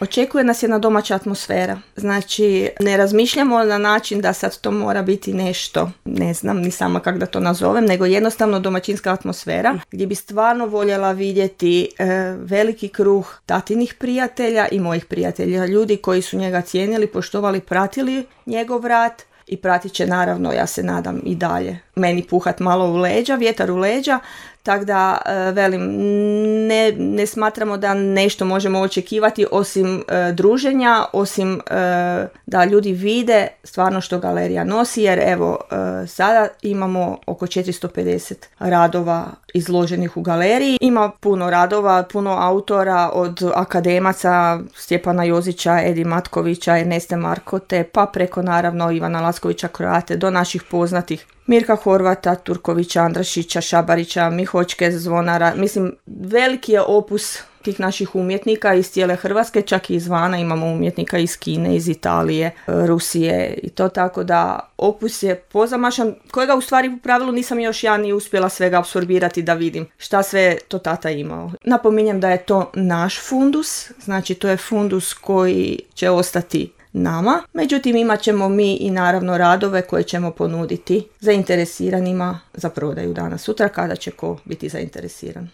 Očekuje nas jedna domaća atmosfera. Znači, ne razmišljamo na način da sad to mora biti nešto, ne znam ni sama kako da to nazovem, nego jednostavno domaćinska atmosfera gdje bi stvarno voljela vidjeti veliki kruh tatinih prijatelja i mojih prijatelja, ljudi koji su njega cijenili, poštovali, pratili njegov rad i pratit će naravno, ja se nadam, i dalje meni puhat malo u leđa, vjetar u leđa. Tako da, velim, ne smatramo da nešto možemo očekivati osim druženja, osim da ljudi vide stvarno što galerija nosi, jer evo, sada imamo oko 450 radova izloženih u galeriji. Ima puno radova, puno autora, od akademaca Stjepana Jozića, Edi Matkovića, Erneste Markote, pa preko naravno Ivana Laskovića Kroate, do naših poznatih Mirka Horvata, Turkovića, Andrašića, Šabarića, Mihočke, Zvonara. Mislim, veliki je opus tih naših umjetnika iz cijele Hrvatske, čak i izvana imamo umjetnika iz Kine, iz Italije, Rusije i to, tako da opus je pozamašan, kojega u stvari u pravilu nisam još ja ni uspjela svega apsorbirati da vidim šta sve to tata imao. Napominjem da je to naš fundus, znači to je fundus koji će ostati nama, međutim imat ćemo mi i naravno radove koje ćemo ponuditi zainteresiranima za prodaju danas sutra kada će ko biti zainteresiran.